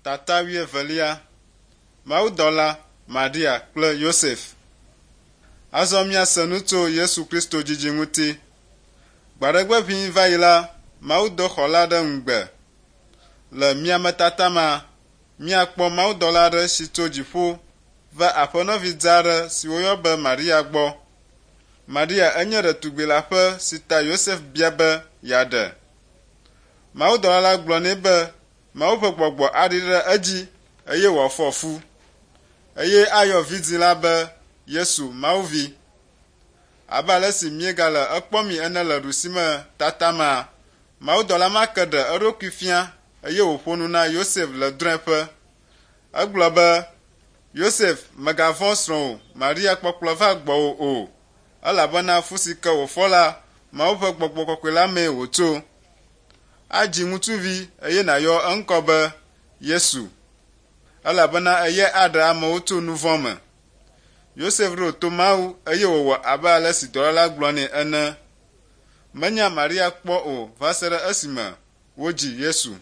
Tata wuievelia, Mawudɔla, Maria kple Yosef. Azɔ míase nu tso Yesu Kristo dzidzi ŋuti. Gbaɖegbe ʋĩi va yi la, Mawu do xɔla ɖe ŋugbe. Le miametata ma, míakpɔ mawudɔla aɖe si tso dziƒo va aƒenɔvi dzaa aɖe si woyɔ be Maria gbɔ. Maria enye ɖetugbi leaƒe si ta Yosef bia be yeaɖe. Mawudɔla la gblɔ nɛ be Mawu ƒe gbɔgbɔ aɖi ɖe edzi eye wòafɔ fu, eye ayɔ vidzĩ la be Yesu, Mawu Vi. Abe ale si míegale ekpɔmii ene le ɖusime tata mea, mawudɔla ma ke ɖe eɖokui fia eye wòƒo nu na Yosef le drɔ̃eƒe. Egblɔ be, Yosef, mègavɔ̃ srɔ̃wò Maria kpɔkplɔ va gbɔwò o, elabena fu si ke wòfɔ la, Mawu ƒe gbɔgbɔ kɔkɔe la mee wòtso. Adzi ŋutsuvi eye nàyɔ eŋkɔ be Yesu, elabena eyae aɖe amewo tso nu vɔ̃ me. Yosef ɖo to Mawu eye wòwɔ abe ale si dɔla la gblɔ nɛ ene. Menya Maria kpɔ o va se ɖe esime wodzi Yesu.